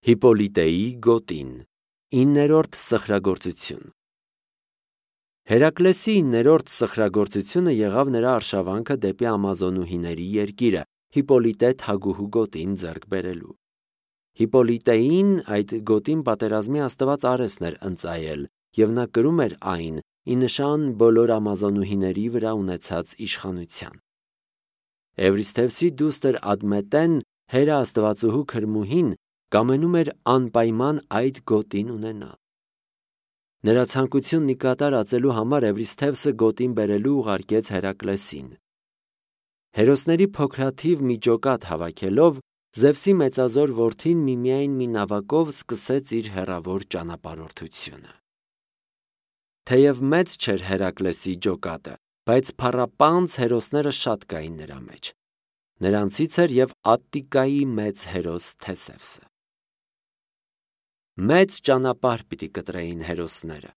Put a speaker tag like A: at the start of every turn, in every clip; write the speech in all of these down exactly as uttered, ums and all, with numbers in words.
A: Հիպպոլիտեի գոտին, իններորդ սխրագործություն։ Հերակլեսի իններորդ սխրագործությունը եղավ նրա արշավանքը դեպի ամազոնուհիների երկիրը, Հիպպոլիտե թագուհու գոտին ձեռք բերելու։ Հիպպոլիտեին այդ գոտին պատերազմի աստված Արեսն էր ընծայել, և նա կրում էր այն ի նշան բոլոր ամազոնուհիների վրա ունեցած իշխանության։ Էվրիսթևսի դուստր Ադմետեն, Հերը աստվածուհու քրմուհին, կամենում էր անպայման այդ գոտին ունենալ։ Նրա ցանկությունն ի կատար ածելու համար Էվրիսթևսը գոտին բերելու ուղարկեց Հերակլեսին։ Հերոսների փոքրաթիվ մի ջոկատ հավաքելով, Զևսի մեծազոր որդին միմիայն մի նավակով սկսեց իր հեռավոր ճանապարհորդությունը։ Թեև մեծ չէր Հերակլեսի ջոկատը, բայց փառապանծ հերոսները շատ կային նրա մեջ։ Նրանցից էր և Ատտիկայի մեծ հերոս Թեսևսը։ Մեծ ճանապարհ պիտի կտրեին հերոսները։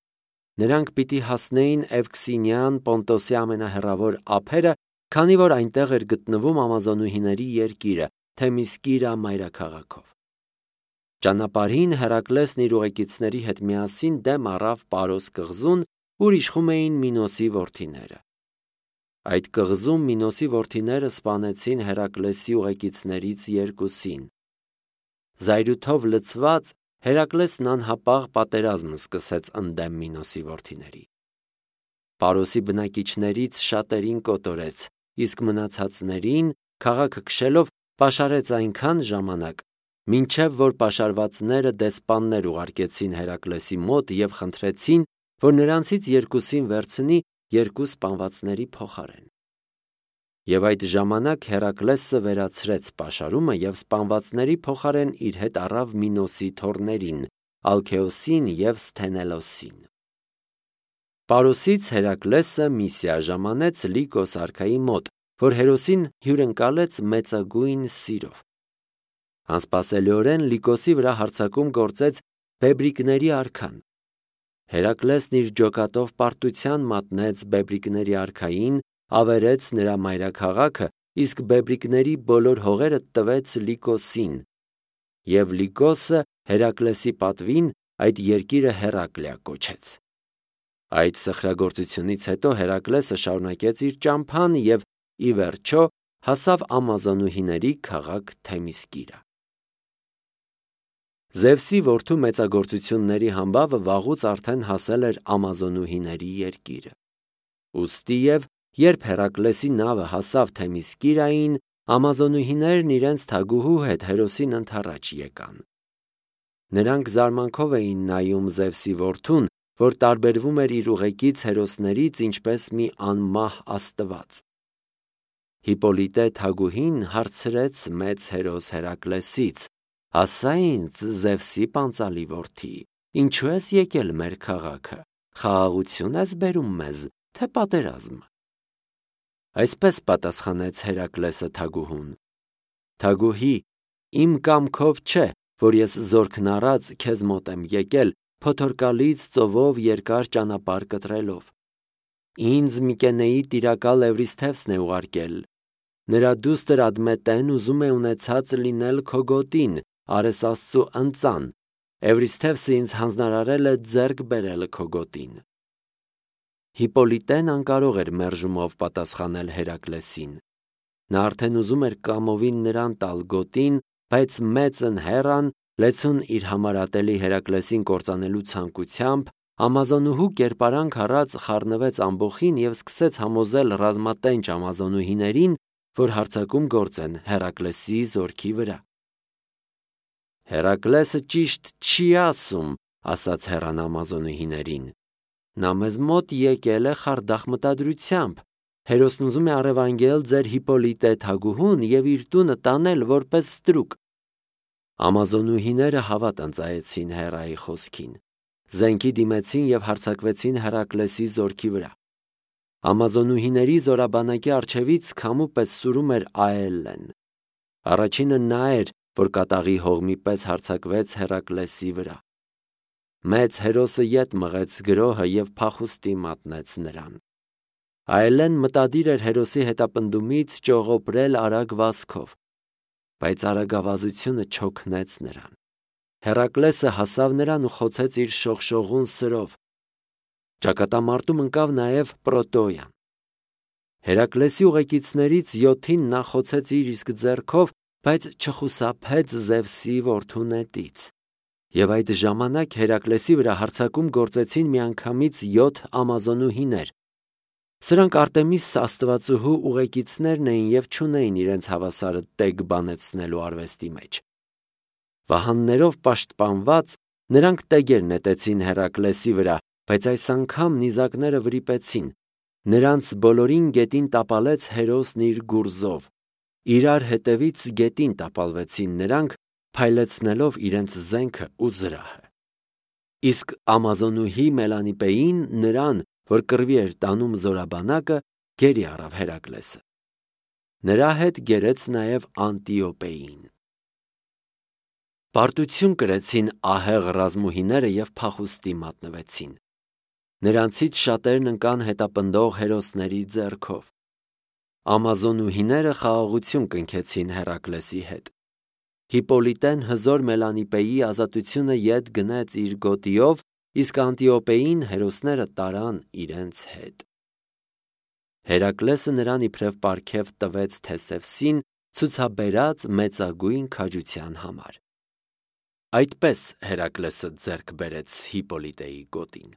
A: Նրանք պիտի հասնեին Էվքսինյան Պոնտոսի ամենահեռավոր ափերը, քանի որ այնտեղ էր գտնվում ամազոնուհիների երկիրը, Թեմիսկիրա մայրաքաղաքով։ Ճանապարհին Հերակլեսն իր ուղեկիցների հետ միասին դեմ առավ Պարոս կղզուն, ուր իշխում էին Մինոսի որդիները։ Այդ կղզում Մինոսի որդիները սպանեցին Հերակլեսի ուղեկիցներից երկուսին։ Զայրույթով լցված Հերակլեսն անհապաղ պատերազմ սկսեց ընդդեմ Մինոսի որդիների։ Պարոսի բնակիչներից շատերին կոտորեց, իսկ մնացածներին, քաղաքը քշելով, պաշարեց այնքան ժամանակ, մինչև որ պաշարվածները դեսպաններ ուղարկեցին Հերակլեսի մոտ և խնդրեցին, որ նրանցից երկուսին վերցնի երկու սպանվածների փոխարեն։ Եվ այդ ժամանակ Հերակլեսը վերացրեց պաշարումը և սպանվածների փոխարեն իր հետ առավ Մինոսի թոռներին՝ Ալքեոսին և Սթենելոսին։ Պարոսից Հերակլեսը միսիա ժամանեց Լիկոս արքայի մոտ, որ հերոսին հյուրընկալեց մեծագույն սիրով։ Անսպասելիորեն Լիկոսի վրա հարձակում գործեց բեբրիկների արքան։ Հերակլեսն իր ջոկատով պարտության մատնեց բեբրիկների արքային, ավերեց նրա մայրաքաղաքը, իսկ բեբրիկների բոլոր հողերը տվեց Լիկոսին, և Լիկոսը Հերակլեսի պատվին այդ երկիրը Հերակլիա կոչեց։ Այդ սխրագործությունից հետո Հերակլեսը շարունակեց իր ճամփան և ի վերջո հասավ ամազոնուհիների քաղաք Թեմիսկիրա։ Զևսի որդու մեծագործությունների համբավը վաղուց արդեն հասել էր ամազոնուհիների երկիրը։ Ուստիև, երբ Հերակլեսի նավը հասավ Թեմիսկիրային, ամազոնուհիներն իրենց թագուհու հետ հերոսին ընդառաջ եկան։ Նրանք զարմանքով էին նայում Զևսի որդուն, որ տարբերվում էր իր ուղեկից հերոսներից ինչպես մի անմահ աստված։ Հիպպոլիտե թագուհին հարցրեց մեծ հերոս Հերակլեսից. «Ասա ինձ, Զևսի պանծալի որդի, ինչու ես եկել մեր քաղաքը, խաղաղություն ես բերում մեզ, թե պատերազմ»։ Այսպես պատասխանեց Հերակլեսը թագուհուն. «Թագուհի, իմ կամքով չէ, որ ես զորքն առած քեզ մոտ եմ եկել, փոթորկալից ծովով երկար ճանապարհ կտրելով։ Ինձ Միկենեի տիրակալ Էվրիսթևսն է ուղարկել։ Նրա դուստր Ադմետեն ուզում է ունեցած լինել քո գոտին, Արես աստծու ընծան, Էվրիսթևսը ինձ հանձնարարել է ձեռք բերել քո գոտին»։ Հիպպոլիտեն անկարող էր մերժումով պատասխանել Հերակլեսին։ Նա արդեն ուզում էր կամովին նրան տալ գոտին, բայց մեծն Հեռան, լեցուն իր համար ատելի Հերակլեսին կործանելու ցանկությամբ, ամազոնուհու կերպարանք առած խառնվեց ամբոխին և սկսեց համոզել ռազմատենչ ամազոնուհիներին, որ հարձակում գործեն Հերակլեսի զորքի վրա։ «Հերակլեսը ճիշտ չի ասում», ասաց Հեռան ամազոնուհիներին։ «Նա մեզ մոտ եկել է խարդախ մտադրությամբ։ Հերոսն ուզում է առևանգել ձեր Հիպպոլիտե թագուհուն և իր տունը տանել որպես ստրուկ»։ Ամազոնուհիները հավատ ընծայեցին Հեռայի խոսքին։ Զենքի դիմեցին և հարձակվեցին Հերակլեսի զորքի վրա։ Ամազոնուհիների զորաբանակի առջևից քամու պես սուրում էր Աելլեն։ Առաջինը նա էր, որ կատաղի հողմի պես հարձակվեց Հերակլեսի վրա։ Մեծ հերոսը ետ մղեց գրոհը և փախուստի մատնեց նրան։ Աելլեն մտադիր էր հերոսի հետապնդումից ճողոպրել արագ վազքով, բայց արագավազությունը չօգնեց նրան։ Հերակլեսը հասավ նրան ու խոցեց իր շողշողուն սրով։ Ճակատամարտում ընկավ նաև Պրոտոյան։ Հերակլեսի ուղեկիցներից յոթին նա խոցեց իր իսկ ձեռքով, բայց չխուսափեց Զևսի որդու նետից։ Եվ այդ ժամանակ Հերակլեսի վրա հարձակում գործեցին միանգամից յոթ ամազոնուհիներ։ Սրանք Արտեմիս աստվածուհու ուղեկիցներն էին և չունեին իրենց հավասարը տեգ բանեցնելու արվեստի մեջ։ Վահաններով պաշտպանված նրանք տեգեր նետեցին Հերակլեսի վրա, բայց այս անգամ նիզակները վրիպեցին։ Նրանց բոլորին գետին տապալեց Հերոսն իր գուրզով։ Իրար հետևից գետին տապալվեցին նրանք, փայլեցնելով իրենց զենքը ու զրահը։ Իսկ ամազոնուհի Մելանիպեին նրան, որ կռվի էր տանում զորաբանակը, գերի առավ Հերակլեսը։ Նրա հետ գերեց նաև Անտիոպեին։ Պարտություն կրեցին ահեղ ռազմուհիները և փախուստի մատնվեցին։ Նրանցից շատերն ընկան հետապնդող հերոսների ձեռքով։ Ամազոնուհիները խաղաղություն կնքեցին Հերակլեսի հետ։ Հիպպոլիտեն հզոր Մելանիպեի ազատությունը ետ գնեց իր գոտիով, իսկ Անտիոպեին հերոսները տարան իրենց հետ։ Հերակլեսը նրան իբրև պարգև տվեց Թեսևսին, ցուցաբերած մեծագույն քաջության համար։ Այդպես Հերակլեսը ձեռք բերեց Հիպպոլիտեի գոտին։